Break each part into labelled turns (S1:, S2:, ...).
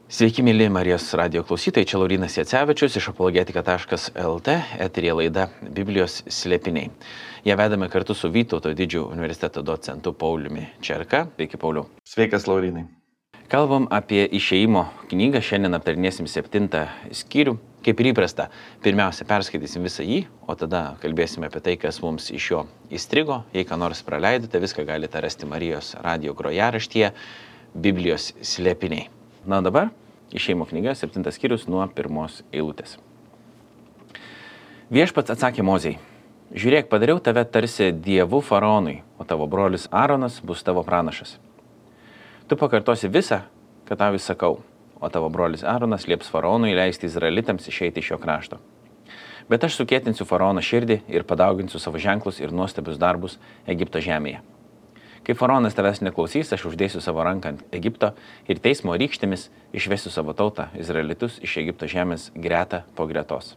S1: Sveiki, mėly Marijos radio klausytojai, čia Laurynas Jacevičius iš apologetika.lt, eterija laida Biblijos slėpiniai. Ją vedame kartu su Vytauto Didžiojo universiteto docentu Pauliumi Čerka. Sveiki, Pauliau.
S2: Sveikas, Laurynai.
S1: Kalbam apie Išėjimo knygą, šiandien aptarinėsim 7 skyrių. Kaip ir įprasta, pirmiausia perskaitysim visą jį, o tada kalbėsime apie tai, kas mums iš jo įstrigo. Jei ką nors praleidote, viską galite rasti Marijos radio grojaraštyje Biblijos slėpiniai. Na dabar Išėjimo knyga, 7 skyrius nuo 1 eilutės. Viešpats atsakė Mozei: žiūrėk, padariau tave tarsi dievu faraonui, o tavo brolis Aaronas bus tavo pranašas. Tu pakartosi visą, ką tau įsakau, o tavo brolis Aaronas lieps faraonui leisti izraelitams išeiti iš šio krašto. Bet aš sukėtinsiu faraono širdį ir padauginsiu savo ženklus ir nuostabius darbus Egipto žemėje. Kai faraonas tavęs neklausys, aš uždėsiu savo ranką ant Egipto ir teismo rykštėmis išvesiu savo tautą, izraelitus, iš Egipto žemės greta po gretos.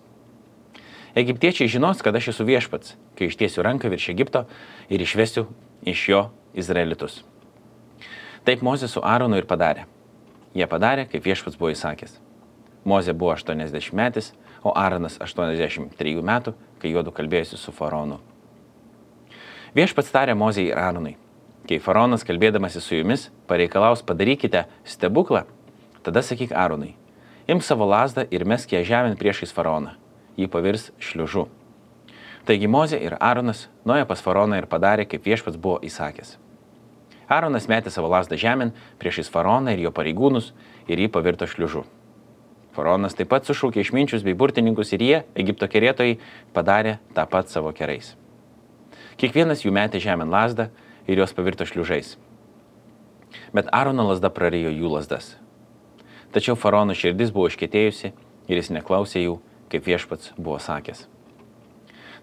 S1: Egiptiečiai žinos, kad aš esu viešpats, kai ištiesiu ranką virš Egipto ir išvesiu iš jo izraelitus. Taip Mozė su Aaronu ir padarė. Jie padarė, kaip viešpats buvo įsakęs. Mozė buvo 80 metais, o Aaronas 83 metų, kai juodu kalbėjosi su faraonu. Viešpats tarė Mozei ir Aaronui: kai faraonas kalbėdamasi su jumis pareikalaus padarykite stebuklą, tada sakyk Aaronui: imk savo lazdą ir mesk ją žemėn priešais faraoną, jį pavirs šliužu. Taigi Mozė ir Aaronas nuėjo pas faraoną ir padarė, kaip viešpats buvo įsakęs. Aaronas metė savo lazdą žemėn priešais faraoną ir jo pareigūnus ir jį pavirto šliužu. Faraonas taip pat sušaukė išminčius bei burtininkus ir jie, Egipto kerėtojai, padarė tą pat savo kerais. Kiekvienas jų metė žemėn lazdą ir jos pavirto šliužais. Bet Aarono lazda prarijo jų lazdas. Tačiau faraono širdis buvo iškietėjusi ir jis neklausė jų, kaip viešpats buvo sakęs.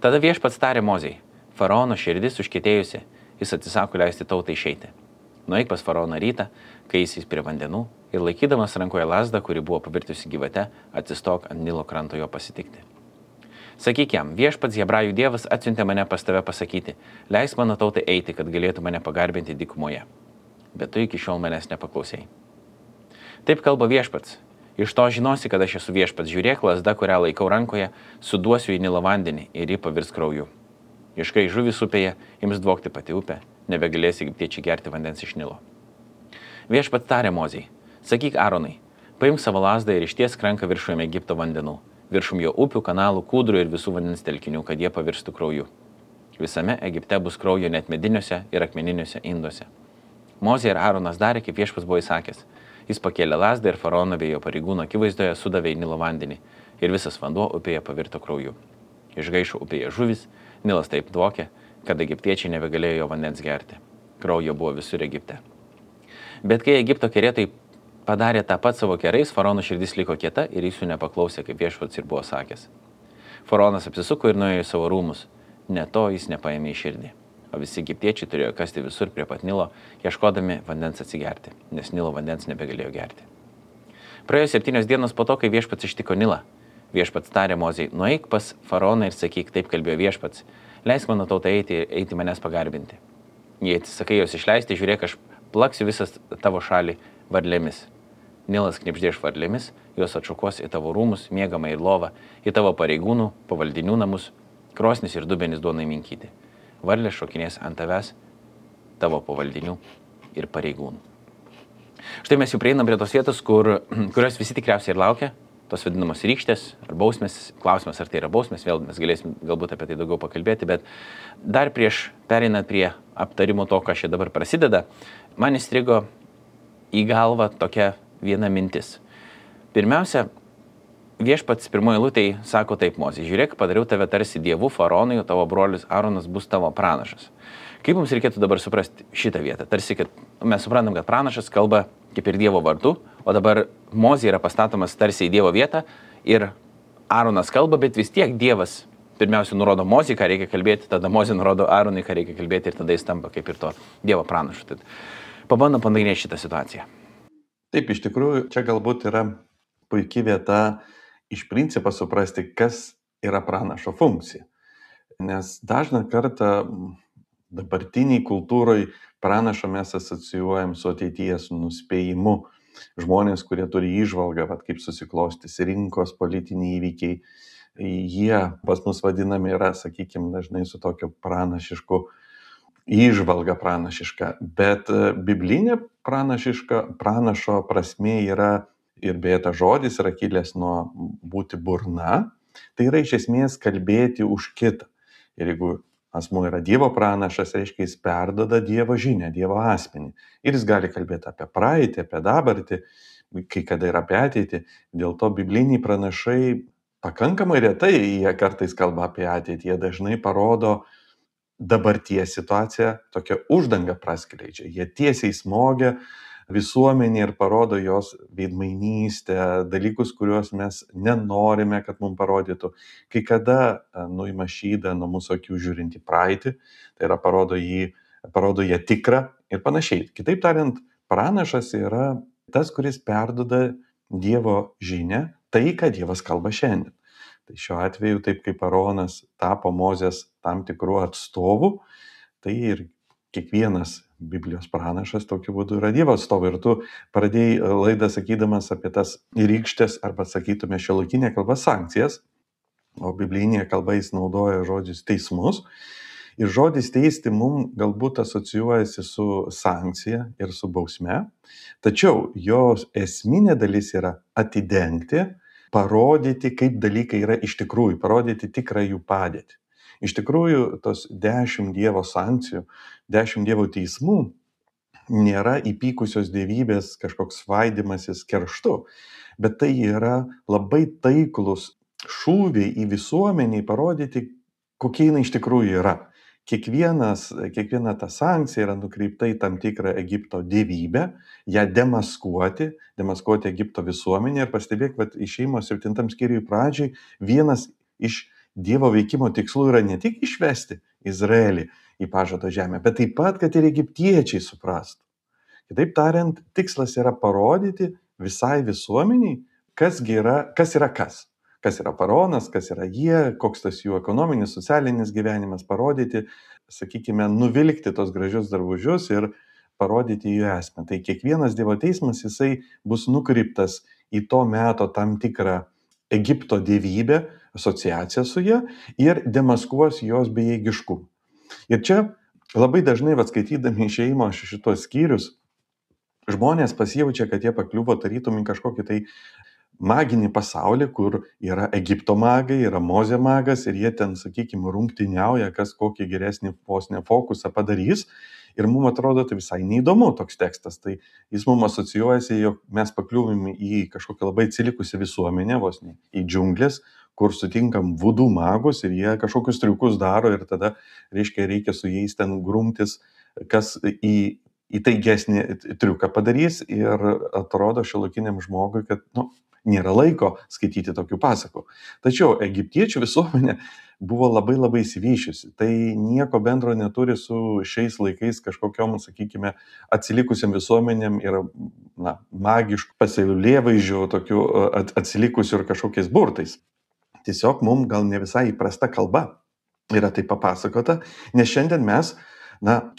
S1: Tada viešpats tarė Mozei: faraono širdis užkietėjusi, jis atsisako leisti tautai išeiti. Nueik pas faraoną rytą, kai jis prie vandenų, ir laikydamas rankoje lazdą, kuri buvo pavirtusi gyvate, atsistok ant Nilo kranto jo pasitikti. Sakyk jam: viešpats Hebrajų dievas atsiuntė mane pas tave pasakyti: leisk mano tautai eiti, kad galėtų mane pagarbinti dykumoje. Bet tu iki šiol manęs nepaklausei. Taip kalba viešpats: iš to žinosi, kad aš esu viešpats. Žiūrėk, lazda, kurią laikau rankoje, suduosiu į Nilo vandenį ir ji pavirs krauju. Ir kai žuvis upėje ims dvokti pati upė, nebegalės egiptiečiai gerti vandens iš Nilo. Viešpats tarė Mozei: sakyk Aaronui: paimk savo lazdą ir ištiesk ranką viršum Egipto vandenų, viršum jo upių, kanalų, kūdrų ir visų vandens telkinių, kad jie pavirstų krauju. Visame Egipte bus kraujo net mediniuose ir akmeniniuose induose. Mozė ir Aaronas darė, kaip viešpats buvo įsakęs. Jis pakėlė lazdą ir faraono bei jo pareigūno akivaizdoje sudavė į Nilo vandenį ir visas vanduo upėje pavirto krauju. Išgaišo upėje žuvis, Nilas taip dvokė, kad egiptiečiai nebegalėjo jo vandens gerti. Kraujo buvo visur Egipte. Bet kai Egipto kerėtojai padarė tą pat savo kerais, faraono širdis liko kieta ir jis jų nepaklausė, kaip viešpats ir buvo sakęs. Faraonas apsisuko ir nuėjo į savo rūmus. Ne to jis nepaėmė į širdį. O visi egiptiečiai turėjo kasti visur prie pat Nilo, ieškodami vandens atsigerti, nes Nilo vandens nebegalėjo gerti. Praėjo 7 dienos po to, kai viešpats ištiko Nilą. Viešpats tarė Mozei: nueik pas faraoną ir sakyk, taip kalbėjo viešpats: leisk mano tautą eiti manęs pagarbinti. Jei atsisakai jos išleisti, žiūrėk, aš plaksiu visas tavo šalį varlėmis. Nilas knibždės varlėmis, jos atšukuos į tavo rūmus, miegamą ir lovą, į tavo pareigūnų, pavaldinių namus, krosnis ir dubenis duonai minkyti. Varlės šokinės ant tavęs, tavo pavaldinių ir pareigūnų. Štai mes jau prieinam prie tos vietos, kurios visi tikriausiai ir laukia, tos vadinamos rykštės ar bausmės. Klausimas, ar tai yra bausmės, vėl mes galėsim galbūt apie tai daugiau pakalbėti, bet dar prieš pereinant prie aptarimo to, kas čia dabar prasideda, man įstrigo į galvą tokia viena mintis. Pirmiausia, viešpats pirmoje eilutėje sako taip Mozei: žiūrėk, padariau tave tarsi dievu faraonui, o tavo brolis Aaronas bus tavo pranašas. Kaip mums reikėtų dabar suprasti šitą vietą? Tarsi, kad mes suprantam, kad pranašas kalba kaip ir Dievo vardu, o dabar Mozė yra pastatomas tarsi į Dievo vietą ir Aaronas kalba, bet vis tiek Dievas pirmiausia nurodo Mozei, ką reikia kalbėti, tada Mozė nurodo Aaronui, ką reikia kalbėti ir tada jis tampa kaip ir to Dievo pranašu. Tad pabandom panagrinėti šitą situaciją.
S2: Taip, iš tikrųjų, čia galbūt yra puikia vieta iš principo suprasti, kas yra pranašo funkcija. Nes dažną kartą dabartiniai kultūroje pranašo mes asocijuojam su ateities nuspėjimu, žmonės, kurie turi įžvalgą, kaip susiklostys rinkos politiniai įvykiai, jie pas mus vadinami yra, sakykime, dažnai su tokiu pranašišku įžvalga pranašiška, bet biblinė pranašo prasmė yra, ir beje tas žodis yra kilęs nuo būti burna, tai yra iš esmės kalbėti už kitą. Ir jeigu asmuo yra Dievo pranašas, reiškia jis perduoda Dievo žinią, Dievo asmenį. Ir jis gali kalbėti apie praeitį, apie dabartį, kai kada ir apie ateitį. Dėl to bibliniai pranašai pakankamai retai jie kartais kalba apie ateitį, jie dažnai parodo dabarties situaciją, tokią uždangą praskleidžia. Jie tiesiai smogia visuomenė ir parodo jos veidmainystę, dalykus, kuriuos mes nenorime, kad mums parodytų. Kai kada nuima šydą nuo mūsų akių žiūrint į praeitį, tai yra parodo ją tikrą ir panašiai. Kitaip tariant, pranašas yra tas, kuris perduoda Dievo žinią, tai, ką Dievas kalba šiandien. Tai šiuo atveju, taip kaip Aronas tapo Mozės tam tikrų atstovų, tai ir kiekvienas Biblijos pranašas tokiu būdu yra Dievo atstovai. Ir tu pradėjai laidą sakydamas apie tas rykštės, arba sakytume šiuolaikinė kalba sankcijas, o biblinėje kalba jis naudoja žodžius teismus. Ir žodis teisti mums galbūt asocijuojasi su sankcija ir su bausme, tačiau jos esminė dalis yra atidengti, parodyti, kaip dalykai yra iš tikrųjų, parodyti tikrą jų padėtį. Iš tikrųjų, tos 10 Dievo sankcijų, 10 Dievo teismų nėra įpykusios dievybės kažkoks svaidymasis kerštu, bet tai yra labai taiklus šūviai į visuomenį parodyti, kokie jinai iš tikrųjų yra. Kiekviena ta sankcija yra nukreipta į tam tikrą Egipto dievybę, ją demaskuoti Egipto visuomenę. Ir pastebėk, kad Išėjimo 7 skyriui pradžiai vienas iš Dievo veikimo tikslų yra ne tik išvesti Izraelį į pažado žemę, bet taip pat, kad ir egiptiečiai suprastų. Kitaip tariant, tikslas yra parodyti visai visuomeniai, kas yra kas. Kas yra faraonas, kas yra jie, koks tas jų ekonominis, socialinis gyvenimas, parodyti, sakykime, nuvilkti tos gražius drabužius ir parodyti jų esmę. Tai kiekvienas Dievo teismas, jisai bus nukreiptas į to meto tam tikrą Egipto dievybę, asociaciją su ja ir demaskuos jos bejėgiškumą. Ir čia labai dažnai, skaitydami Išėjimo šitos skyrius, žmonės pasijaučia, kad jie pakliuvo tarytum į kažkokį tai maginį pasaulį, kur yra Egipto magai, yra Mozė magas ir jie ten, sakykime, rungtyniauja, kas kokį geresnį fokusą padarys. Ir mums atrodo tai visai neįdomu toks tekstas. Tai jis mums asocijuojasi, jog mes pakliuvim į kažkokią labai atsilikusią visuomenę, vos ne į džiunglės, kur sutinkam vudų magus ir jie kažkokius triukus daro ir tada, reikia su jais ten grumtis, kas įtaigesnį triuką padarys. Ir atrodo šiuolaikiniam žmogui, kad nėra laiko skaityti tokių pasakų. Tačiau egiptiečių visuomenė buvo labai labai įsivyšiusi. Tai nieko bendro neturi su šiais laikais kažkokiom, sakykime, atsilikusiam visuomenėm ir magiškų pasaulėvaizdžių, tokių atsilikusių ir kažkokiais burtais. Tiesiog mums gal ne visai įprasta kalba yra tai papasakota, nes šiandien mes,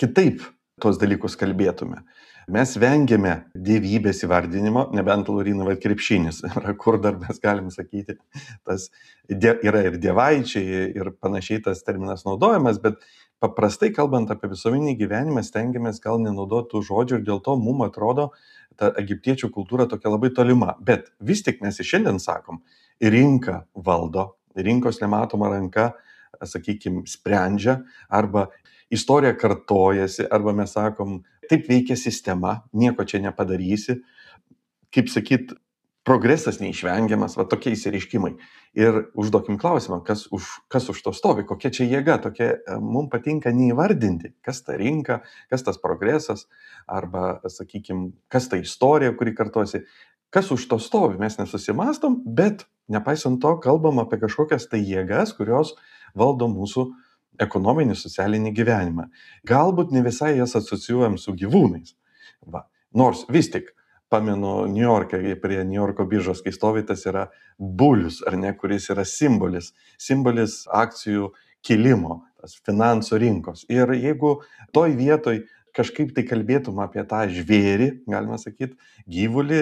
S2: kitaip tuos dalykus kalbėtume. Mes vengiame dievybės įvardinimo, nebent Lauryna krepšinis, kur dar mes galim sakyti, tas yra ir dievaičiai ir panašiai tas terminas naudojamas, bet paprastai kalbant apie visuomeninį gyvenimą stengiamės gal nenaudoti tų žodžių ir dėl to mums atrodo ta egiptiečių kultūra tokia labai tolima. Bet vis tik mes ir šiandien sakom, rinka valdo, rinkos nematoma ranka, sakykime, sprendžia, arba istorija kartojasi, arba mes sakom, taip veikia sistema, nieko čia nepadarysi. Kaip sakyt, progresas neišvengiamas, tokie įsireiškimai. Ir užduokim klausimą, kas už to stovi, kokia čia jėga, mums patinka neįvardinti, kas ta rinka, kas tas progresas, arba, sakykime, kas ta istorija, kuri kartojasi, kas už to stovi, mes nesusimastom, bet nepaisant to kalbam apie kažkokias tai jėgas, kurios valdo mūsų ekonominį, socialinį gyvenimą. Galbūt ne visai jas asocijuojam su gyvūnais. Nors vis tik, pamenu Niujorke, prie Niujorko biržos, kai stovi, tas yra bulius, ar ne, kuris yra simbolis akcijų kilimo, tas finansų rinkos. Ir jeigu toj vietoj kažkaip tai kalbėtum apie tą žvėrį, galima sakyti, gyvulį,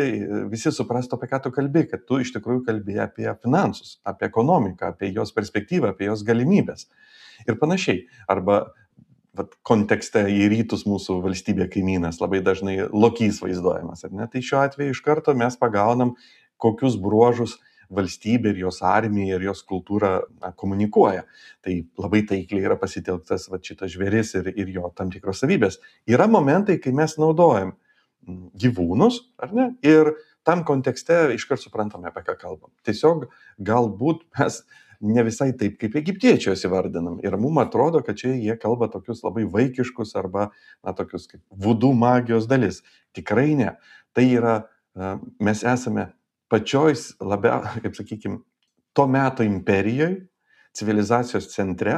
S2: visi suprastų, apie ką tu kalbi, kad tu iš tikrųjų kalbi apie finansus, apie ekonomiką, apie jos perspektyvą, apie jos galimybės ir panašiai. Arba kontekste į rytus mūsų valstybė kaimynas labai dažnai lokys vaizduojamas, ar ne? Tai šiuo atveju iš karto mes pagaunam, kokius bruožus valstybė ir jos armija ir jos kultūra komunikuoja. Tai labai taikliai yra pasitelktas šitas žvėris ir jo tam tikros savybės. Yra momentai, kai mes naudojam gyvūnus, ar ne? Ir tam kontekste iškart suprantame, apie ką kalbam. Tiesiog galbūt mes ne visai taip, kaip egiptiečius įvardinam. Ir mums atrodo, kad čia jie kalba tokius labai vaikiškus arba tokius kaip vudų magijos dalis. Tikrai ne. Tai yra, mes esame pačioj kaip sakykime, to meto imperijoje, civilizacijos centre,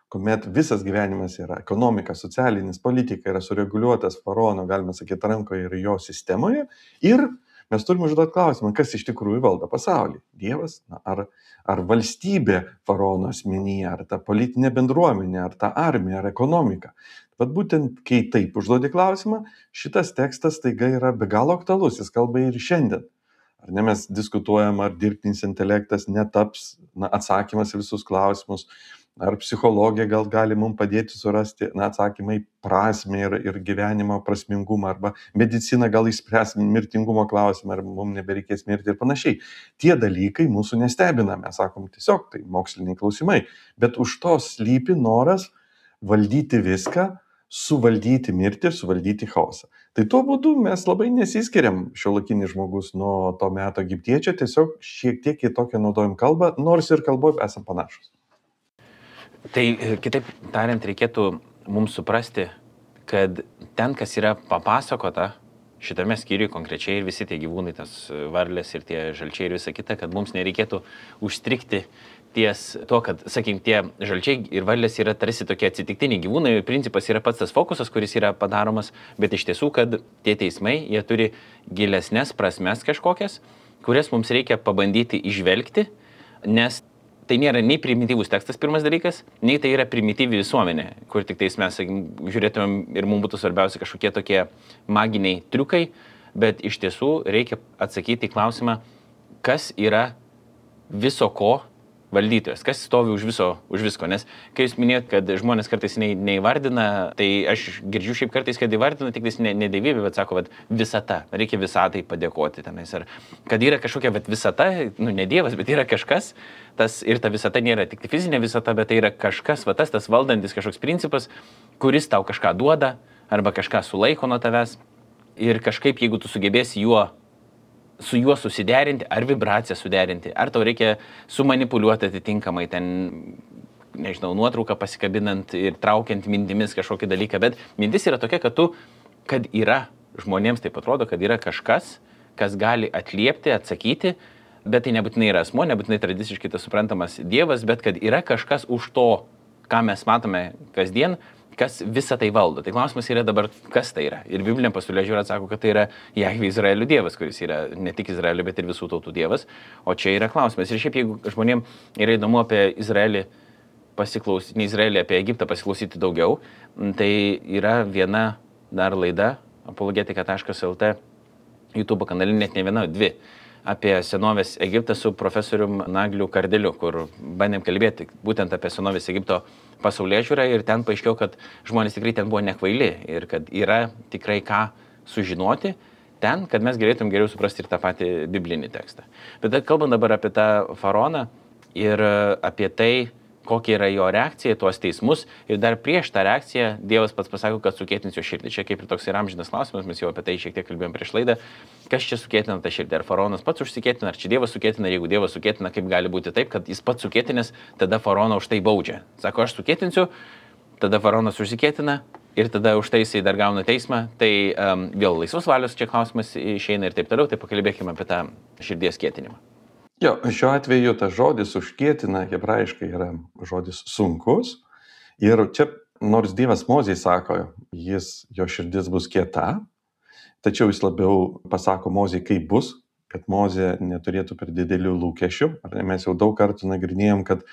S2: kuomet visas gyvenimas yra ekonomika, socialinis, politika yra sureguliuotas faraono, galima sakyti, rankoje ir jo sistemoje. Ir mes turime užduoti klausimą, kas iš tikrųjų valdo pasaulį. Dievas, ar valstybė faraono asmenyje, ar ta politinė bendruomenė, ar ta armija, ar ekonomika. Bet būtent, kai taip užduodi klausimą, šitas tekstas taiga yra be galo aktualus, jis kalba ir šiandien. Ar ne, mes diskutuojam, ar dirbtinis intelektas netaps atsakymas į visus klausimus, ar psichologija gal gali mums padėti surasti atsakymą į prasmę ir gyvenimo prasmingumą, arba medicina gal išspręs mirtingumo klausimą, ar mums nebereikės mirti ir panašiai. Tie dalykai mūsų nestebina, mes sakom tiesiog, tai moksliniai klausimai, bet už to slypi noras valdyti viską, suvaldyti mirtį ir suvaldyti chaosą. Tai tuo būdu mes labai nesiskiriam šiuolaikinis žmogus nuo to meto egiptiečio, tiesiog šiek tiek kitokią naudojam kalbą, nors ir kalboje esam panašus.
S1: Tai kitaip tariant, reikėtų mums suprasti, kad ten, kas yra papasakota šitame skyriuje konkrečiai ir visi tie gyvūnai, tas varlės ir tie žalčiai ir visa kita, kad mums nereikėtų užstrikti ties to, kad, sakykim, tie žalčiai ir varlės yra tarsi tokie atsitiktiniai gyvūnai, principas yra pats tas fokusas, kuris yra padaromas, bet iš tiesų, kad tie teismai, jie turi gilesnės prasmes kažkokias, kurias mums reikia pabandyti įžvelgti, nes tai nėra nei primityvus tekstas, pirmas dalykas, nei tai yra primityvi visuomenė, kur tik tais mes, sakykim, žiūrėtumėm ir mums būtų svarbiausia kažkokie tokie maginiai triukai, bet iš tiesų reikia atsakyti į klausimą, kas yra viso ko valdytojas, kas stovi už visko, nes kai jūs minėjot, kad žmonės kartais neįvardina, tai aš girdžiu šiaip kartais, kad įvardina tik ne dievybė, bet sako, kad visata, reikia visatai padėkoti tenais, ar kad yra kažkokia visata, ne dievas, bet yra kažkas, ir ta visata nėra tik fizinė visata, bet tai yra kažkas, tas valdantis kažkoks principas, kuris tau kažką duoda, arba kažką sulaiko nuo tavęs, ir kažkaip, jeigu tu sugebėsi su juo susiderinti, ar vibraciją suderinti, ar tau reikia sumanipuliuoti atitinkamai ten, nežinau, nuotrauką pasikabinant ir traukiant mintimis kažkokį dalyką, bet mintis yra tokia, kad yra, žmonėms taip atrodo, kad yra kažkas, kas gali atliepti, atsakyti, bet tai nebūtinai yra asmuo, nebūtinai tradiciškai tas suprantamas dievas, bet kad yra kažkas už to, ką mes matome kasdien, kas visą tai valdo. Tai klausimas yra dabar, kas tai yra. Ir Biblinė pasaulėžiūra atsako, kad tai yra Jahvė Izraelio dievas, kuris yra ne tik Izraelio, bet ir visų tautų dievas. O čia yra klausimas. Ir šiaip, jeigu žmonėms yra įdomu apie Izraelį pasiklausyti, ne Izraelį, apie Egiptą pasiklausyti daugiau, tai yra viena dar laida, apologetika.lt, YouTube kanale, net ne viena, dvi, apie senovės Egiptą su profesorium Nagliu Kardeliu, kur bandėm kalbėti būtent apie senovės Egipto pasaulėžiūrą ir ten paaiškėjo, kad žmonės tikrai ten buvo nekvaili ir kad yra tikrai ką sužinoti ten, kad mes galėtum geriau suprasti ir tą patį biblinį tekstą. Bet kalbant dabar apie tą faraoną ir apie tai, kokia yra jo reakcija į tuos teismus ir dar prieš tą reakciją Dievas pats pasako, kad sukėtins jo širdį. Čia kaip ir toks ir amžinas klausimas, mes jau apie tai šiek tiek kalbėjom prieš laidą, kas čia sukėtina tą širdį, ar faraonas pats užsikėtina, ar čia Dievas sukėtina, ir jeigu Dievas sukėtina, kaip gali būti taip, kad jis pats sukėtinės, tada faraoną už tai baudžia. Sako, aš sukėtinsiu, tada faraonas užsikėtina ir tada už tai jisai dar gauna teismą, tai vėl laisvos valios čia klausimas išeina ir taip toliau, tai pakalbėkime apie tą širdies kėtinimą.
S2: Jo, šiuo atveju tas žodis užkėtina hebrajiškai yra žodis sunkus ir čia nors Dievas Mozei sako, jo širdis bus kieta, tačiau jis labiau pasako Mozei, kaip bus, kad Mozė neturėtų per didelių lūkesčių. Mes jau daug kartų nagrinėjom, kad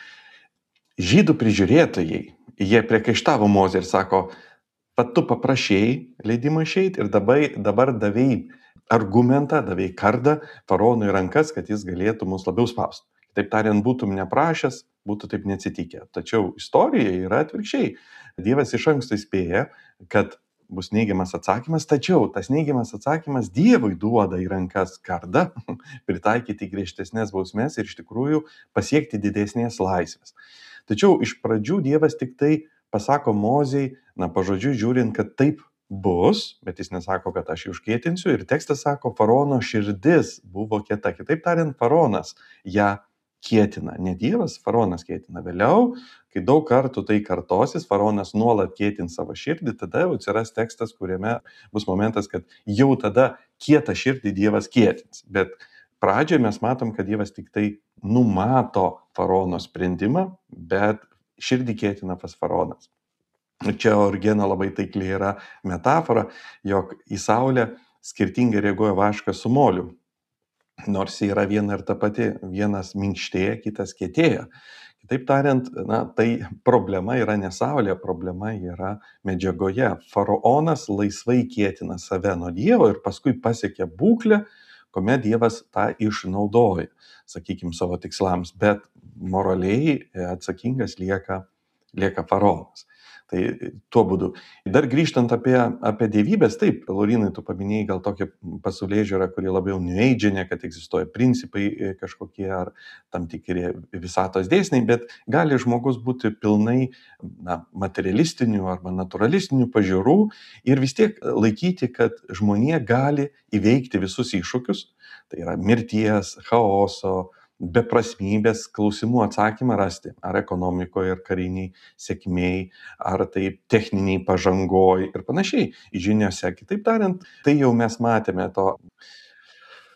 S2: žydų prižiūrėtojai, jie priekaištavo Mozei ir sako, pat tu paprašėjai leidimą išeiti ir dabar davėjai argumentą, davėjai kardą faraonui rankas, kad jis galėtų mus labiau spausti. Taip tariant, būtum neprašęs, būtų taip neatsitikę. Tačiau istorija yra atvirkščiai. Dievas iš anksto įspėja, kad bus neigiamas atsakymas, tačiau tas neigiamas atsakymas Dievui duoda į rankas kardą, pritaikyti griežtesnės bausmės ir iš tikrųjų pasiekti didesnės laisvės. Tačiau iš pradžių Dievas tik tai pasako Mozei, pažodžiui žiūrint, kad taip bus, bet jis nesako, kad aš jį užkietinsiu. Ir tekstas sako, faraono širdis buvo kieta. Kitaip tariant, faraonas ją kietina. Ne Dievas, faraonas kietina. Vėliau, kai daug kartų tai kartosis, faraonas nuolat kietins savo širdį, tada jau atsiras tekstas, kuriame bus momentas, kad jau tada kietą širdį Dievas kietins. Bet pradžioje mes matom, kad Dievas tik tai numato faraono sprendimą, bet širdį kietina pas faraonas. Čia Origeno labai taikliai yra metafora, jog į saulę skirtingai reaguoja vaškas su moliu. Nors yra viena ir ta pati, vienas minkštėja, kitas kietėja. Kitaip tariant, tai problema yra ne saulė, problema yra medžiagoje. Faraonas laisvai kietina save nuo Dievo ir paskui pasiekia būklę, kuomet Dievas tą išnaudoja, sakykime, savo tikslams, bet moraliai atsakingas lieka faraonas. Tai tuo būdu. Dar grįžtant apie dievybės, taip, Laurinai, tu paminėjai gal tokią pasaulėžiūrą, kuri labiau New Age-inė, kad egzistuoja principai kažkokie ar tam tikri visatos dėsniai, bet gali žmogus būti pilnai materialistinių arba naturalistinių pažiūrų ir vis tiek laikyti, kad žmonija gali įveikti visus iššūkius, tai yra mirties, chaoso, beprasmybės klausimų atsakymą rasti, ar ekonomikoje, ar kariniai sėkmiai, ar tai techniniai pažangoj ir panašiai žiniose. Kitaip tariant, tai jau mes matėme to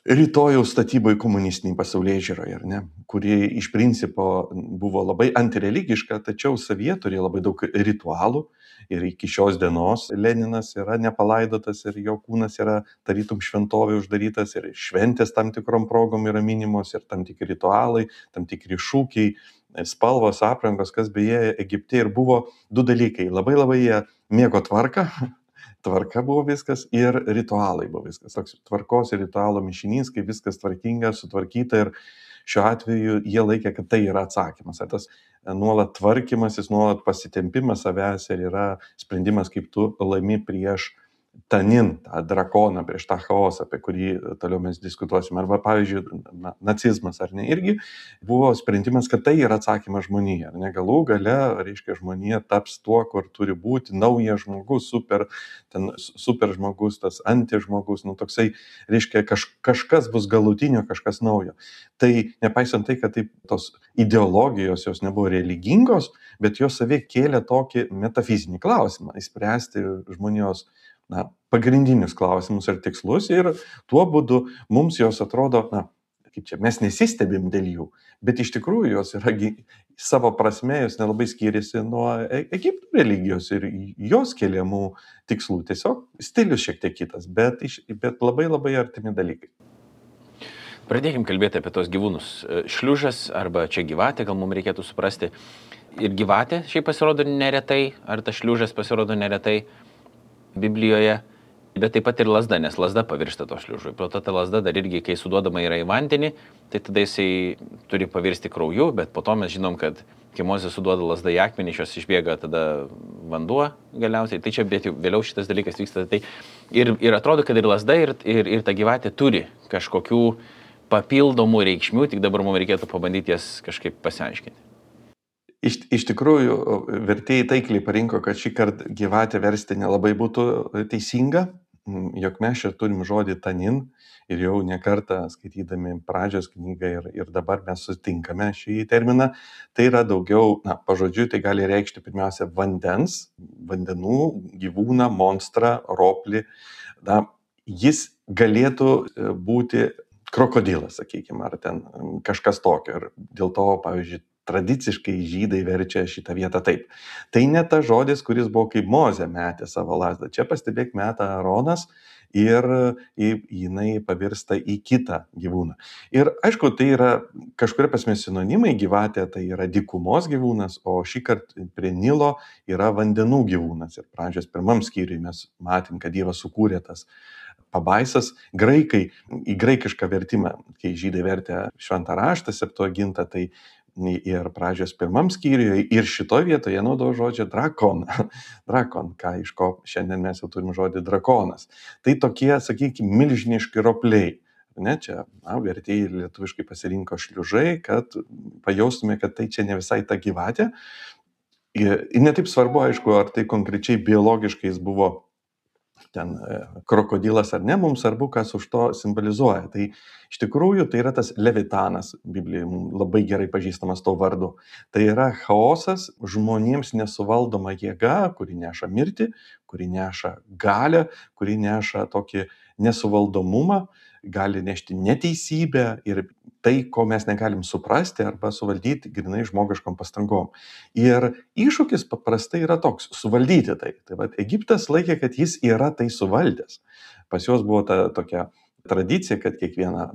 S2: rytojaus statyboje komunistiniai pasaulėžiūroje, ar ne, kuri iš principo buvo labai antireligiška, tačiau savyje turėjo labai daug ritualų ir iki šios dienos Leninas yra nepalaidotas ir jo kūnas yra tarytum šventovė uždarytas ir šventės tam tikrom progom yra minimos ir tam tikri ritualai, tam tikri šūkiai, spalvos, aprangos, kas beje Egipte ir buvo du dalykai. Labai jie mėgo tvarką. Tvarka buvo viskas ir ritualai buvo viskas. Toks tvarkos ir ritualo mišinys, kai viskas tvarkinga, sutvarkyta ir šiuo atveju jie laikė, kad tai yra atsakymas. Tas nuolat tvarkymasis, nuolat pasitempimas savęs ir yra sprendimas, kaip tu laimi prieš Tanin, tą drakoną, prieš tą chaosą, apie kurį toliau mes diskutuosime. Arba, pavyzdžiui, nacizmas, ar ne, irgi buvo sprendimas, kad tai yra atsakymas žmonija. Ar ne, galų gale, reiškia, žmonija taps tuo, kur turi būti naujas žmogus, super žmogus, tas antižmogus, toksai, reiškia, kažkas bus galutinio, kažkas naujo. Tai nepaisant tai, kad taip, tos ideologijos jos nebuvo religingos, bet jos savie kėlė tokį metafizinį klausimą, įspręsti žmonijos pagrindinius klausimus ir tikslus ir tuo būdu mums jos atrodo, mes nesistebim dėl jų, bet iš tikrųjų jos yra savo prasme, jos nelabai skiriasi nuo Egipto religijos ir jos keliamų tikslų. Tiesiog stilius šiek tiek kitas, bet labai artimi dalykai.
S1: Pradėkim kalbėti apie tos gyvūnus. Šliužas arba čia gyvatė, gal mums reikėtų suprasti. Ir gyvatė šiaip pasirodo neretai, ar tas šliužas pasirodo neretai Biblijoje, bet taip pat ir lazda, nes lazda pavirsta to šliužui. Pro to ta lazda dar irgi, kai suduodama yra į vandenį, tai tada jisai turi pavirsti krauju, bet po to mes žinom, kad kai Mozė suduoda lazdą į akmenį, iš jos išbėga tada vanduo galiausiai. Tai čia vėliau šitas dalykas vyksta. Tai ir atrodo, kad ir lazda, ir ta gyvatė turi kažkokių papildomų reikšmių, tik dabar mums reikėtų pabandyti jas kažkaip pasiaiškinti.
S2: Iš tikrųjų, vertėjai taikliai parinko, kad šį kartą gyvatę versti nelabai būtų teisinga, jog mes čia turim žodį tanin ir jau ne kartą skaitydami pradžios knygą ir dabar mes sutinkame šį terminą. Tai yra daugiau, pažodžiui, tai gali reikšti pirmiausia vandenų, gyvūną, monstrą, roplį. Jis galėtų būti krokodilas, sakykime, ar ten kažkas tokio. Ir dėl to, pavyzdžiui, tradiciškai žydai verčia šitą vietą taip. Tai ne tas žodis, kuris buvo kaip Mozė metė savo lazdą. Čia pastebėk metą Aaronas ir jinai pavirsta į kitą gyvūną. Ir aišku, tai yra kažkuria prasme sinonimai, gyvatė tai yra dykumos gyvūnas, o šį kartą prie Nilo yra vandenų gyvūnas. Ir pradžios pirmam skyriui mes matėm, kad Dievas sukūrė tas pabaisas. Graikai, į graikišką vertimą, kai žydai vertė šventą raštą, Septuagintą, tai ir pradžios pirmam skyriuje ir šitoje vietoje naudojo žodžią drakon. Drakon, iš ko šiandien mes jau turim žodį drakonas. Tai tokie, sakykime, milžiniški ropliai. Ne, čia vertėjai lietuviškai pasirinko šliužai, kad pajaustume, kad tai čia ne visai ta gyvatė. Ir netaip svarbu, aišku, ar tai konkrečiai biologiškai jis buvo ten krokodilas ar ne, mums svarbu, kas už to simbolizuoja. Tai iš tikrųjų tai yra tas Levitanas, Biblijoje mums labai gerai pažįstamas to vardu. Tai yra chaosas, žmonėms nesuvaldoma jėga, kuri neša mirtį, kuri neša galią, kuri neša tokį nesuvaldomumą, gali nešti neteisybę ir tai, ko mes negalim suprasti arba suvaldyti grinai žmogiškom pastangom. Ir iššūkis paprastai yra toks - suvaldyti tai. Tai vat Egiptas laikė, kad jis yra tai suvaldęs. Pas juos buvo ta tokia tradicija, kad kiekvieną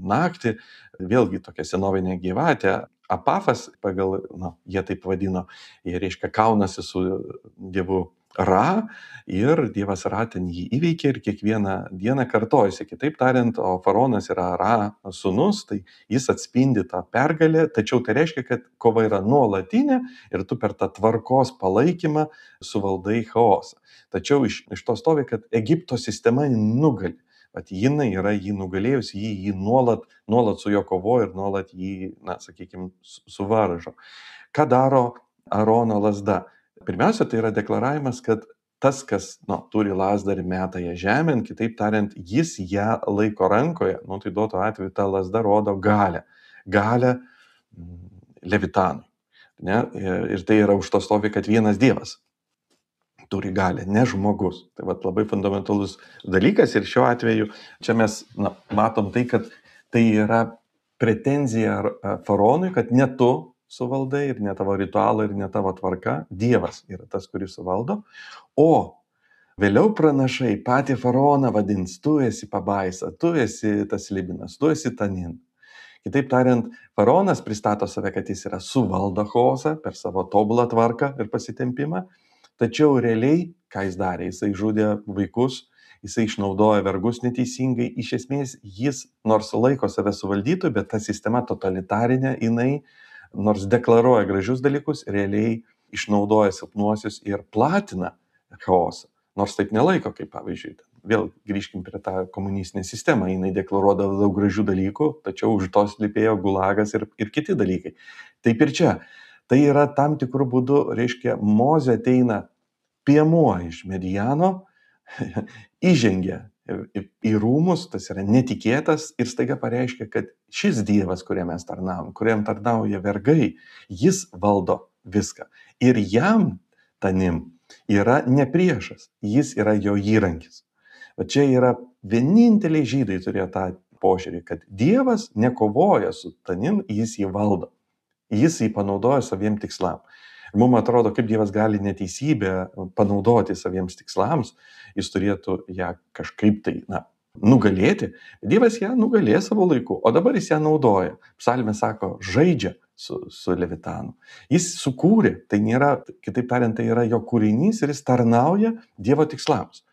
S2: naktį, vėlgi tokia senovinė gyvatė, Apafas, pagal, jie taip vadino, jie reiškia kaunasi su dievu Ra ir dievas Ra ten jį įveikia ir kiekvieną dieną kartojasi. Kitaip tariant, o faraonas yra Ra sūnus, tai jis atspindi tą pergalę, tačiau tai reiškia, kad kova yra nuolatinė ir tu per tą tvarkos palaikymą suvaldai chaosą. Tačiau iš to stovi, kad Egipto sistema nugali. Vat jinai yra jį nugalėjus, jį nuolat su jo kovoja ir nuolat jį, sakykime, suvaržo. Ką daro Arono lazda? Pirmiausia, tai yra deklaravimas, kad tas, kas turi lazdą ir meta ją žemėn, kitaip tariant, jis ją laiko rankoje, tai duoto atveju ta lazda rodo galę Levitanui. Ne? Ir tai yra už to stovi, kad vienas Dievas turi galę, ne žmogus. Tai labai fundamentalus dalykas ir šiuo atveju čia mes matom tai, kad tai yra pretenzija faraonui, kad ne tu suvaldai ir ne tavo ritualai ir ne tavo tvarka, Dievas yra tas, kuris suvaldo, o vėliau pranašai patį faraoną vadins, tu esi pabaisa, tu esi tas Libinas, tu esi Tanin. Kitaip tariant, faraonas pristato save, kad jis yra suvaldo chaosą per savo tobulą tvarką ir pasitempimą, tačiau realiai, ką jis darė, jisai žudė vaikus, jisai išnaudoja vergus neteisingai, iš esmės jis nors laiko save suvaldytų, bet ta sistema totalitarinė, jinai nors deklaruoja gražius dalykus, realiai išnaudoja silpnuosius ir platina chaosą. Nors taip nelaiko, kaip pavyzdžiui, vėl grįžkim prie tą komunistinę sistemą, jinai deklaruodavo daug gražių dalykų, tačiau už to slypėjo gulagas ir kiti dalykai. Taip ir čia. Tai yra tam tikrų būdų, reiškia, Mozė ateina piemuo iš Mediano, įžengia į rūmus, tas yra netikėtas ir staiga pareiškia, kad šis Dievas, kuriam mes tarnaujam, kuriam tarnauja vergai, jis valdo viską. Ir jam, Tanim, yra ne priešas, jis yra jo įrankis. O čia yra vieninteliai žydai turėjo tą požiūrį, kad Dievas nekovoja su Tanim, jis jį valdo. Jis jį panaudoja saviem tikslam. Ir mums atrodo, kaip Dievas gali neteisybę panaudoti saviems tikslams, jis turėtų ją kažkaip tai, nugalėti. Dievas ją nugalėjo savo laiku, o dabar jis ją naudoja. Psalmė sako, žaidžia su Levitanu. Jis sukūrė, tai nėra, kitaip tariant, tai yra jo kūrinys ir jis tarnauja Dievo tikslams.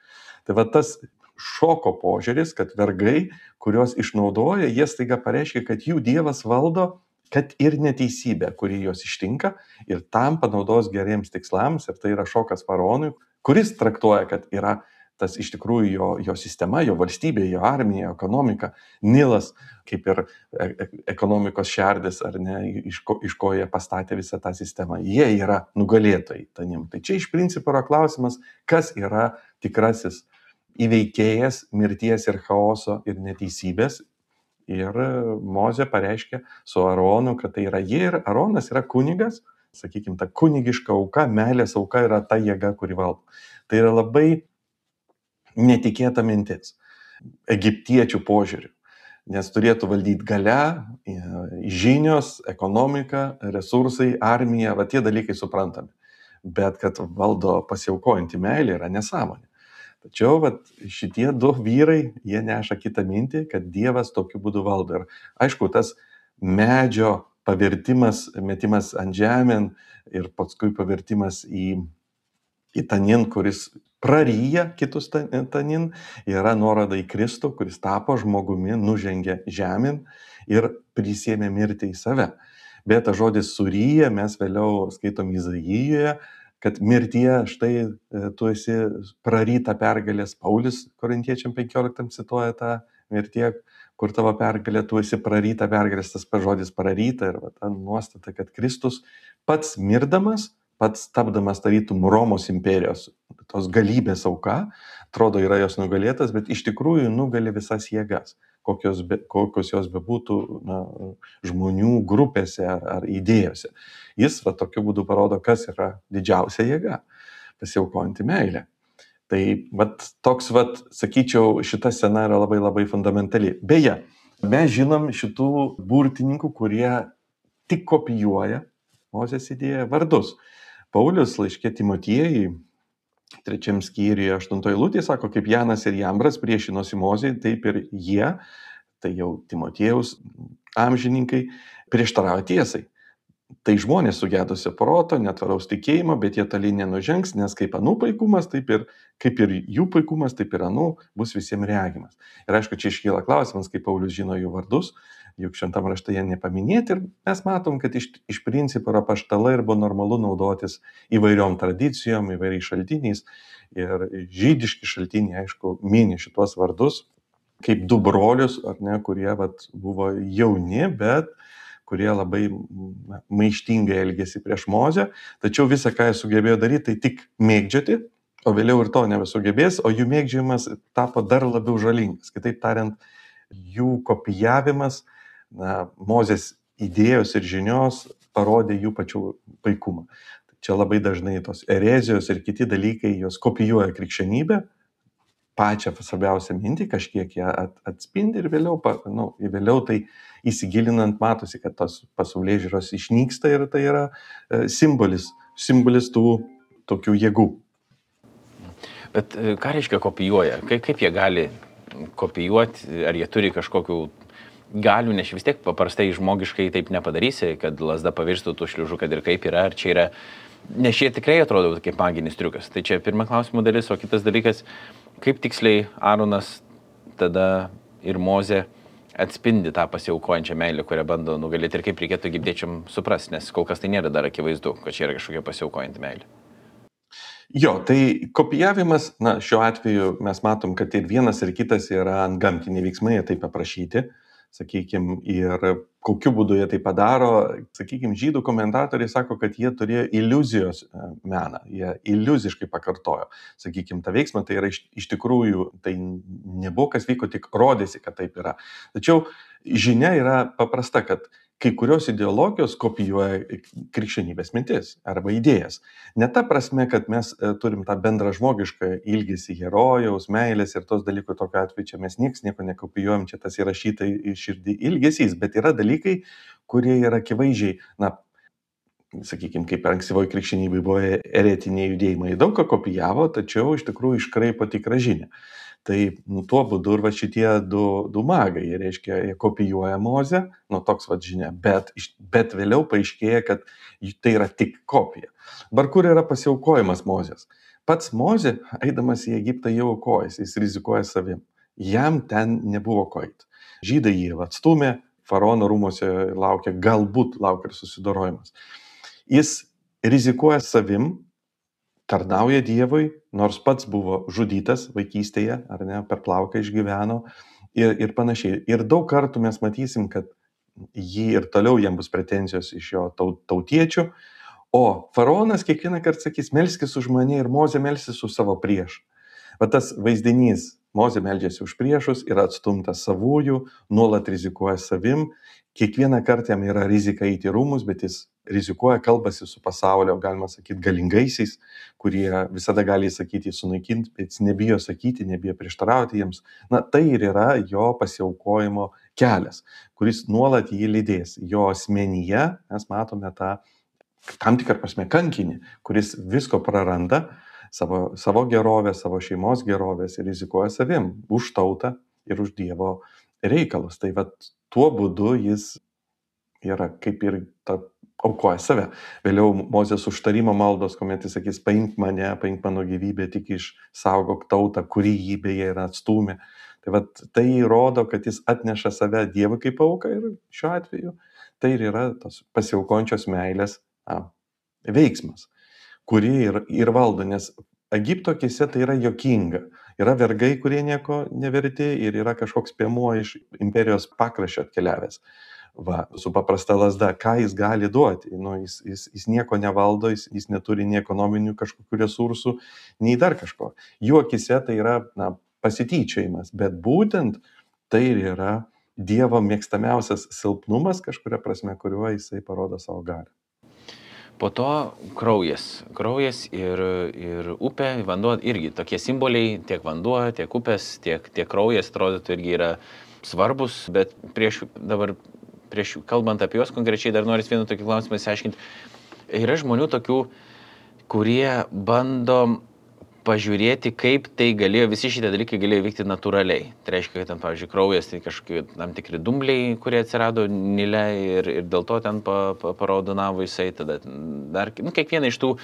S2: Tai tas šoko požiūris, kad vergai, kuriuos išnaudoja, jie staiga pareiškia, kad jų Dievas valdo, kad ir neteisybė, kuri juos ištinka, ir tam panaudos geriems tikslams, ir tai yra šokas faraonui, kuris traktuoja, kad yra tas iš tikrųjų jo sistema, jo valstybė, jo armija, ekonomika, Nilas, kaip ir ekonomikos šerdis, ar ne, iš ko jie pastatė visą tą sistemą. Jie yra nugalėtojai Tanim. Tai čia iš principo yra klausimas, kas yra tikrasis įveikėjas mirties ir chaoso ir neteisybės. Ir Mozė pareiškia su Aronu, kad tai yra jie ir Aronas yra kunigas, sakykime, ta kunigiška auka, meilės auka yra ta jėga, kuri valdo. Tai yra labai netikėta mintis egiptiečių požiūrių, nes turėtų valdyti galia, žinios, ekonomika, resursai, armija, tie dalykai suprantami. Bet kad valdo pasiaukojantį meilę yra nesąmonė. Tačiau šitie du vyrai, jie neša kitą mintį, kad Dievas tokiu būdu valdo. Ir aišku, tas medžio pavertimas, metimas ant žemėn ir paskui pavertimas į tanin, kuris praryja kitus tanin, yra nuoroda į Kristų, kuris tapo žmogumi, nužengė žemėn ir prisėmė mirtį į save. Bet tas žodis suryja, mes vėliau skaitom Izaijoje, kad mirtyje štai tu esi praryta pergalės. Paulius Korintiečiam 15 cituoja tą mirtyje, kur tavo pergalė, tu esi praryta pergalės, tas žodis praryta ir ta nuostata, kad Kristus pats mirdamas, pats tapdamas tarytum Romos imperijos, tos galybės auka, atrodo yra jos nugalėtas, bet iš tikrųjų nugali visas jėgas, kokios jos bebūtų žmonių grupėse ar idėjose. Jis tokiu būdu parodo, kas yra didžiausia jėga - pasiaukojanti meilė. Tai toks, sakyčiau, šita scena yra labai labai fundamentali. Beje, mes žinom šitų burtininkų, kurie tik kopijuoja Mozės idėją vardus. Paulius laiške Timotiejui 3 skyriuje 8 eilutėje sako, kaip Janas ir Jambras priešinosi Mozei, taip ir jie, tai jau Timotiejaus amžininkai, prieštarauja tiesai. Tai žmonės sugedusio proto, netvaraus tikėjimo, bet jie toli nenužengs, nes kaip anų paikumas, kaip ir jų paikumas, taip ir anų bus visiems regimas. Ir aišku, čia iškyla klausimas, kaip Paulius žino jų vardus, juk šventam rašte jie nepaminėti ir mes matom, kad iš principo yra apaštalai ir buvo normalu naudotis įvairiom tradicijom, įvairiais šaltiniais ir žydiški šaltiniai, aišku, mini šitos vardus kaip du brolius, ar ne, kurie buvo jauni, bet kurie labai maištingai elgėsi prieš Mozę, tačiau visą, ką jie sugebėjo daryti, tai tik mėgdžioti, o vėliau ir to nebesugebės, o jų mėgdžiojimas tapo dar labiau žalingas. Kitaip tariant, jų kopijavimas Mozės idėjos ir žinios parodė jų pačių paikumą. Čia labai dažnai tos erezijos ir kiti dalykai, jos kopijuoja krikščionybę, pačią svarbiausią mintį, kažkiek ją atspindi ir vėliau tai įsigilinant matosi, kad tos pasaulėžiūros išnyksta ir tai yra simbolis tų tokių jėgų.
S1: Bet ką reiškia kopijuoja? Kaip jie gali kopijuoti? Ar jie turi kažkokių galių, nes vis tiek paprastai žmogiškai taip nepadarysi, kad lasda pavirstų tų šliužų, kad ir kaip yra, ar čia yra, nes šie tikrai atrodo kaip maginis triukas. Tai čia pirma klausimo dalis, o kitas dalykas, kaip tiksliai Aaronas tada ir Mozė atspindi tą pasiaukojančią meilę, kurią bando nugalėti ir kaip reikėtų egiptiečiam suprasti, nes kol kas tai nėra dar akivaizdu, kad čia yra kažkokia pasiaukojanti meilė.
S2: Jo, tai kopijavimas, šiuo atveju mes matom, kad ir vienas ir kitas yra antgamtiniai veiksmai, jie taip aprašyti, sakykime, ir kokiu būdu jie tai padaro, sakykime, žydų komentatoriai sako, kad jie turėjo iliuzijos meną, jie iliuziškai pakartojo, sakykime, tą veiksmą, tai yra iš tikrųjų, tai nebuvo kas vyko, tik rodėsi, kad taip yra. Tačiau žinia yra paprasta, kad kai kurios ideologijos kopijuoja krikščionybės mintis arba idėjas. Ne ta prasme, kad mes turim tą bendrą žmogišką ilgesį herojaus, meilės ir tos dalykų, tokio atveju čia mes nieko nekopijuojam, čia tas įrašyta į širdį ilgesys, bet yra dalykai, kurie yra akivaizdžiai, sakykime, kaip ankstyvoji krikščionybė buvo eretiniai judėjimai, daug ką kopijavo, tačiau iš tikrųjų iškraipo tikrą žinią. Tai tuo būdu ir šitie du magai, jie reiškia, jie kopijuoja Mozę, toks žinia, bet vėliau paaiškėja, kad tai yra tik kopija. Dabar kur yra pasiaukojimas Mozės? Pats Mozė, eidamas į Egiptą, jau aukojasi, jis rizikuoja savim. Jam ten nebuvo ko eiti. Žydai jį atstumė, faraono rūmose galbūt laukia ir susidorojimas. Jis rizikuoja savim, tarnauja Dievui, nors pats buvo žudytas vaikystėje, ar ne, per plauką išgyveno ir panašiai. Ir daug kartų mes matysim, kad jį ir toliau jam bus pretenzijos iš jo tautiečių, o faraonas kiekvieną kartą sakys, melskis už mane ir Mozė melsis už savo priešą. Tas vaizdinys, Mozė meldžiasi už priešus, yra atstumtas savųjų, nuolat rizikuoja savim, kiekvieną kartą jam yra rizika eiti į rūmus, bet jis rizikuoja, kalbasi su pasaulio, galima sakyti, galingaisiais, kurie visada gali sakyti sunaikinti, bet jis nebijo sakyti, nebijo prieštarauti jiems. Tai ir yra jo pasiaukojimo kelias, kuris nuolat jį lydės. Jo asmenyje mes matome tą tam tikrą prasme kankinį, kuris visko praranda, savo gerovės, savo šeimos gerovės ir rizikuoja savim už tautą ir už Dievo reikalus. Tai vat tuo būdu jis yra kaip ir aukoja save. Vėliau Mozės užtarimo maldos, kuomet jis sakys, paimk mane, paimk mano gyvybę, tik išsaugok tautą, kuri jį beje yra atstūmė. Tai vat tai rodo, kad jis atneša save Dievui kaip auką ir šiuo atveju tai ir yra tos pasiaukončios meilės veiksmas, kuri ir valdo, nes Egipto akise tai yra juokinga. Yra vergai, kurie nieko neverti ir yra kažkoks piemuo iš imperijos pakraščio atkeliavęs. Su paprasta lasda, ką jis gali duoti? Jis nieko nevaldo, jis neturi nei ekonominių kažkokių resursų, nei dar kažko. Jų akise tai yra pasityčiojimas, bet būtent tai ir yra Dievo mėgstamiausias silpnumas kažkuria prasme, kuriuo jisai parodo savo galią.
S1: Po to kraujas ir upė, vanduo irgi tokie simboliai, tiek vanduo, tiek upės, tiek kraujas, atrodytų, irgi yra svarbus, bet prieš kalbant apie juos konkrečiai, dar noriu vieną tokį klausimą išsiaiškinti. Yra žmonių tokių, kurie bando pažiūrėti, kaip tai visi šitie dalykai galėjo vykti natūraliai. Tai reiškia, kad ten, pavyzdžiui, kraujas, tai kažkokie tam tikri dumbliai, kurie atsirado Nile ir dėl to ten paraudonavo jisai, tada dar, kiekvieną iš tų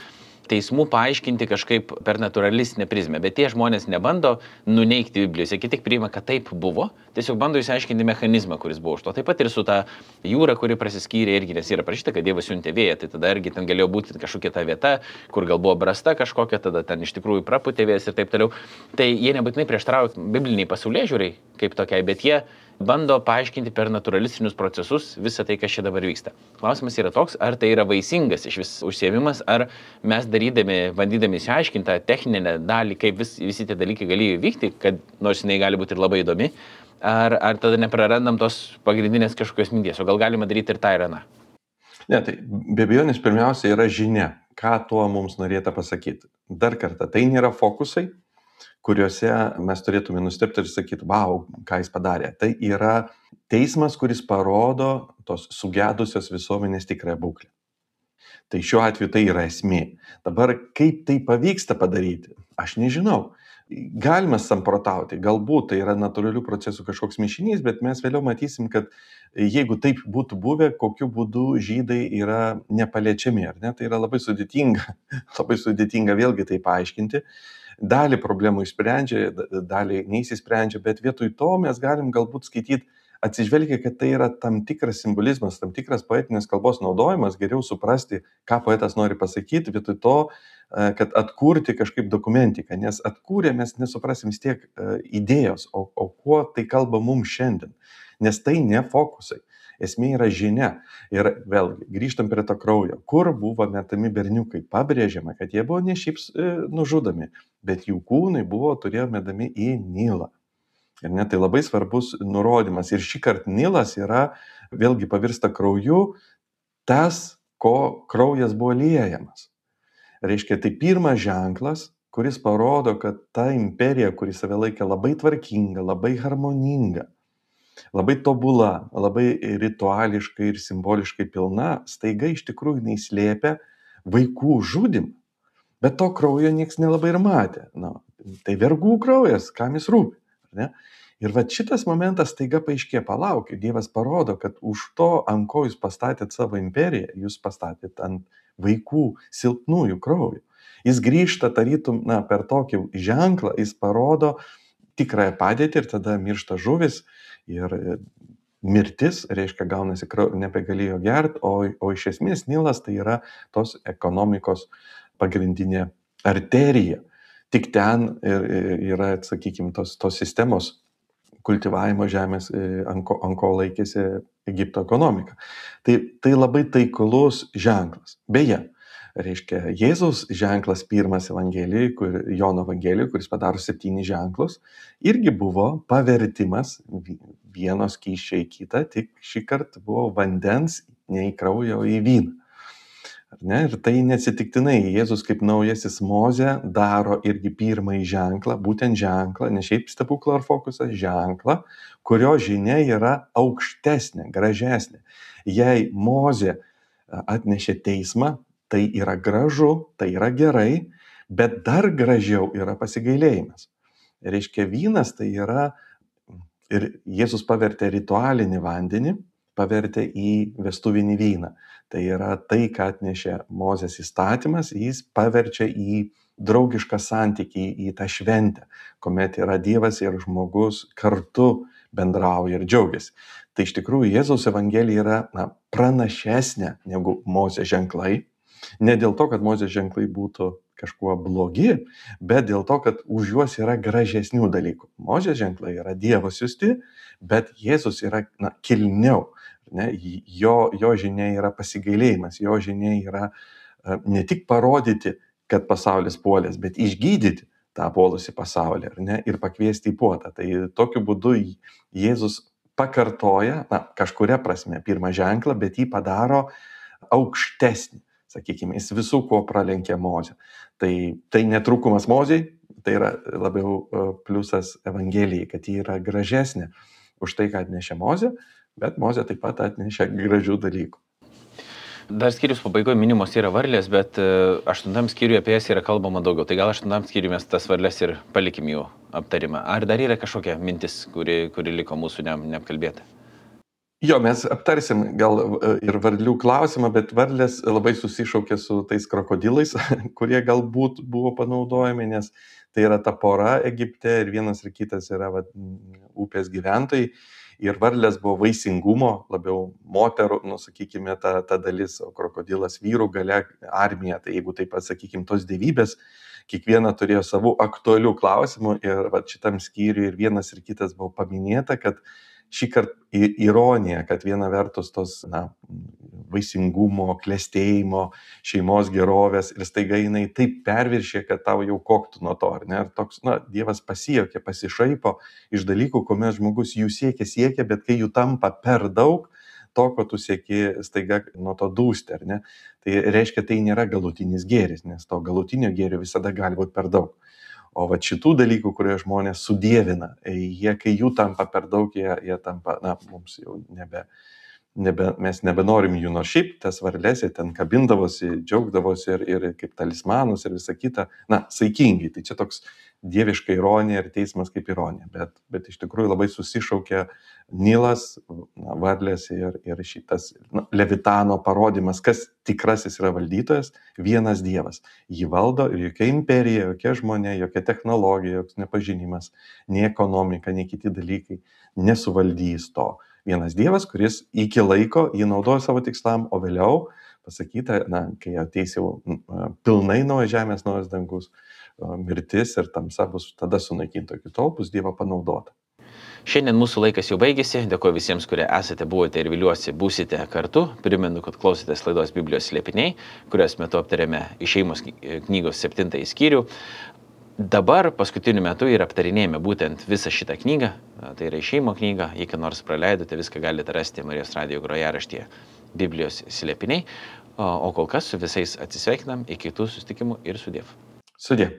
S1: teismų paaiškinti kažkaip per naturalistinę prizmę, bet tie žmonės nebando nuneigti Biblijos, jie tik priima, kad taip buvo, tiesiog bando išsiaiškinti mechanizmą, kuris buvo už to. Taip pat ir su ta jūra, kuri prasiskyrė irgi, nes yra parašyta, kad Dievas siuntė vėją, tai tada irgi ten galėjo būti kažkokia ta vieta, kur gal buvo brasta kažkokia, tada ten iš tikrųjų prapūtė vėjas ir taip toliau. Tai jie nebūtinai prieštarauja bibliniai pasaulėžiūrai kaip tokiai, bet jie bando paaiškinti per naturalistinius procesus visą tai, kas čia dabar vyksta. Klausimas yra toks, ar tai yra vaisingas iš vis užsiėmimas, ar mes bandydami išsiaiškinti tą techninę dalį, kaip visi tie dalykai galėjo vykti, kad nors jinai gali būti ir labai įdomi, ar tada neprarandam tos pagrindinės kažkokios minties, o gal galima daryti ir tą ir aną.
S2: Ne, tai be abejonės pirmiausia yra žinia, ką tuo mums norėta pasakyti. Dar kartą, tai nėra fokusai, kuriuose mes turėtume nustebti ir sakyti, vau, ką jis padarė. Tai yra teismas, kuris parodo tos sugedusios visuomenės tikrąją būklę. Tai šiuo atveju tai yra esmė. Dabar kaip tai pavyksta padaryti, aš nežinau. Galima samprotauti, galbūt tai yra natūralių procesų kažkoks mišinys, bet mes vėliau matysim, kad jeigu taip būtų buvę, kokiu būdu žydai yra nepaliečiami, ar ne? Tai yra labai sudėtinga vėlgi tai paaiškinti. Dalį problemų išsprendžia, dalį neįsisprendžia, bet vietoj to mes galim galbūt skaityti, atsižvelgia, kad tai yra tam tikras simbolizmas, tam tikras poetinės kalbos naudojimas, geriau suprasti, ką poetas nori pasakyti, vietoj to, kad atkurti kažkaip dokumentiką, nes atkūrę mes nesuprasim vis tiek idėjos, o kuo tai kalba mums šiandien, nes tai ne fokusai. Esmė yra žinia. Ir vėlgi, grįžtam prie to kraujo. Kur buvo metami berniukai? Pabrėžiama, kad jie buvo ne šiaip nužudomi, bet jų kūnai turėjo metami į Nilą. Ir net tai labai svarbus nurodymas. Ir šį kartą Nilas yra, vėlgi pavirsta krauju, tas, ko kraujas buvo liejamas. Reiškia, tai pirmas ženklas, kuris parodo, kad ta imperija, kuri save laikė labai tvarkinga, labai harmoninga, labai tobula, labai rituališkai ir simboliškai pilna, staiga iš tikrųjų neįslėpia vaikų žudimą. Bet to kraujo nieks nelabai ir matė. Tai vergų kraujas, kam jis rūpi. Ne? Ir va šitas momentas staiga paaiškė, palaukit, Dievas parodo, kad už to, ant ko jūs pastatėt savo imperiją, jūs pastatėt ant vaikų silpnųjų kraujo. Jis grįžta tarytum, per tokį ženklą, jis parodo tikrąją padėtį ir tada miršta žuvis ir mirtis, reiškia, gaunasi nebegalėjo gerti, o iš esmės Nilas tai yra tos ekonomikos pagrindinė arterija. Tik ten yra, sakykime, tos sistemos kultivavimo žemės, ant ko laikėsi Egipto ekonomika. Tai labai taiklus ženklas. Beje, reiškia, Jėzaus ženklas pirmas Evangelijoje, Jono Evangelijoje, kuris padaro 7 ženklus, irgi buvo pavertimas vieno skysčio į kitą, tik šį kartą buvo vandens ne į kraują, o į vyną. Ir tai neatsitiktinai, Jėzus kaip naujasis Mozė daro irgi pirmąjį ženklą, būtent ženklą, ne šiaip stebuklą ar fokusą, ženklą, kurio žinia yra aukštesnė, gražesnė. Jei Mozė atnešė teismą, tai yra gražu, tai yra gerai, Bet dar gražiau yra pasigailėjimas. Reiškia, vynas tai yra, ir Jėzus pavertė ritualinį vandenį, pavertė į vestuvinį vyną. Tai yra tai, ką atnešė Mozės įstatymas, jis paverčia į draugišką santykį, į tą šventę, kuomet yra Dievas ir žmogus kartu bendrauja ir džiaugiasi. Tai iš tikrųjų Jėzaus Evangelija yra pranašesnė negu Mozės ženklai. Ne dėl to, kad Mozės ženklai būtų kažkuo blogi, bet dėl to, kad už juos yra gražesnių dalykų. Mozės ženklai yra Dievo siųsti, bet Jėzus yra kilniau. Ne? Jo žinia yra pasigailėjimas, jo žinia yra ne tik parodyti, kad pasaulis puolės, bet išgydyti tą puolusį pasaulį, ar ne, ir pakviesti į puotą. Tai tokiu būdu Jėzus pakartoja, kažkuria prasme, pirmą ženklą, bet jį padaro aukštesnį. Sakykime, jis visų ko pralenkė Mozę. Tai netrukumas Mozei, tai yra labiau pliusas Evangelijai, kad ji yra gražesnė už tai, ką atnešė Mozė, bet Mozė taip pat atnešė gražių dalykų.
S1: Dar skyrius pabaigoje minimos yra varlės, bet 8 skyriuje apie jas yra kalbama daugiau. Tai gal 8 skyriuje mes tas varlės ir palikim jų aptarimą. Ar dar yra kažkokia mintis, kuri liko mūsų neapkalbėta?
S2: Jo, mes aptarsim gal ir varlių klausimą, bet varlės labai susišaukė su tais krokodilais, kurie galbūt buvo panaudojami, nes tai yra ta pora Egipte ir vienas ir kitas yra upės gyventojai. Ir varlės buvo vaisingumo, labiau moterų, sakykime, ta dalis, o krokodilas vyrų gale armija. Tai jeigu taip pasakykime, tos dievybės, kiekviena turėjo savų aktualių klausimų ir šitam skyriui ir vienas ir kitas buvo paminėta, kad šį kartą ironija, kad viena vertus tos vaisingumo, klestėjimo, šeimos gerovės ir staiga jinai taip perviršė, kad tau jau koktų nuo to, ar ne? Ir toks, Dievas pasijuokė, pasišaipo iš dalykų, kuomet žmogus jų siekia, bet kai jų tampa per daug, to, ko tu sieki, staiga nuo to dūsti, ar ne? Tai reiškia, tai nėra galutinis gėris, nes to galutinio gėrio visada gali būti per daug. O šitų dalykų, kurie žmonės sudievina, kai jų tampa per daug, jie tampa, mums jau mes nebenorim jų, nors šiaip tas varlės, jie ten kabindavosi, džiaugdavosi ir kaip talismanus ir visa kita, saikingai. Tai čia toks dieviška ironija ir teismas kaip ironija, bet iš tikrųjų labai susišaukė Nilas, varlės ir šitas Levitano parodimas, kas tikrasis yra valdytojas, vienas Dievas. Jį valdo ir jokia imperija, jokia žmonė, jokia technologija, joks nepažinimas, nei ekonomika, nei kiti dalykai nesuvaldys to. Vienas Dievas, kuris iki laiko jį naudoja savo tikslam, o vėliau pasakyta, kai ateis jau pilnai naujas žemės, naujas dangus, mirtis ir tamsa bus tada sunaikinta, iki tol bus Dievo panaudota.
S1: Šiandien mūsų laikas jau baigėsi. Dėkuoju visiems, kurie esate, buvote ir viliuosi būsite kartu. Primenu, kad klausėtės laidos Biblijos slėpiniai, kurios metu aptarėme Išėjimo knygos 7 skyrių. Dabar paskutiniu metu ir aptarinėjame būtent visą šitą knygą. Tai yra Išėjimo knyga. Jei ką nors praleidote, viską galite rasti Marijos radijo grojaraštyje Biblijos slėpiniai. O kol kas su visais atsisveikinam. Iki kitų susitikimų ir sudiev.
S2: Sudie.